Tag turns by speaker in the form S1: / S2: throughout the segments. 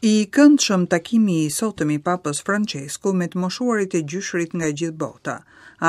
S1: I këndshëm takimi i sotëm i Papës Françesku me të moshuarit e gjyshërit nga e gjithë bota.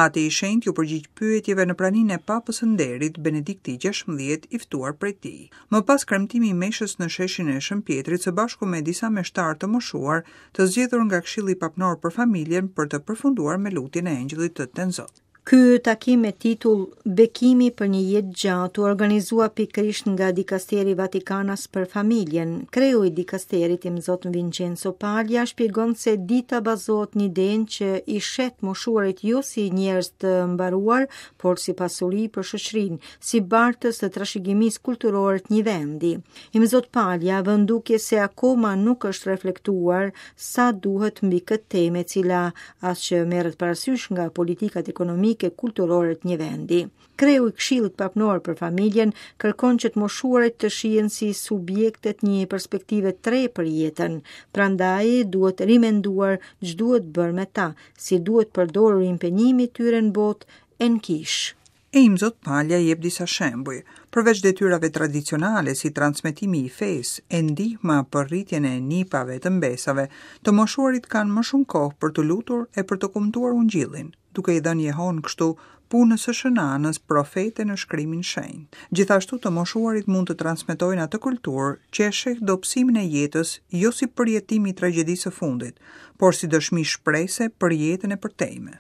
S1: Ati i Shenjtë iu përgjigj pyetjeve në praninë e Papës së Nderit, Benedikti XVI, i ftuar prej tij. Më pas kremtimi i meshës në sheshin e Shën Pjetrit së bashku me disa meshtarë të moshuar, të zgjedhur nga Këshilli Papnor për Familjen për të përfunduar me lutjen e Engjëllit të Tenzot.
S2: Ky takim me titull Bekimi për një jetë të gjatë u organizua pikërisht nga dikasteri Vatikanas për familjen. Kreu i dikasterit Imzot Vincenzo Paglia shpjegon se dita bazohet në idenë që i sheh të moshuarit jo si njerëz të mbaruar, por si pasuri për shoqërinë, si bartës të trashëgimisë kulturore të një vendi. Imzot Paglia vë në dukje se akoma nuk është reflektuar sa duhet mbi këtë temë e cila as që merret parasysh nga politikat ekonomike kulturore të një vendi. Kreu i Këshillit Papnor për Familjen kërkon që të moshuarit të shihen si subjekte të një perspektive të re për jetën. Prandaj duhet rimenduar ç'duhet bërë me ta, si duhet përdorur impenjimi i tyre në botë e në kishë.
S1: E Imzot Paglia jep disa shembuj, përveç detyrave tradicionale si transmetimi i fesë e ndihma për rritjen e nipave e të mbesave, të moshuarit kanë më shumë kohë për t'u lutur e për të kumtuar Ungjillin, duke i dhënë jehonë kështu punës së Shën Anës profete në shkrimin shenjt. Gjithashtu të moshuarit mund të transmetojnë atë kulturë që e sheh dobësimin e jetës jo si përjetim i tragjedisë së fundit, por si dëshmi shprese për jetën e përtejme.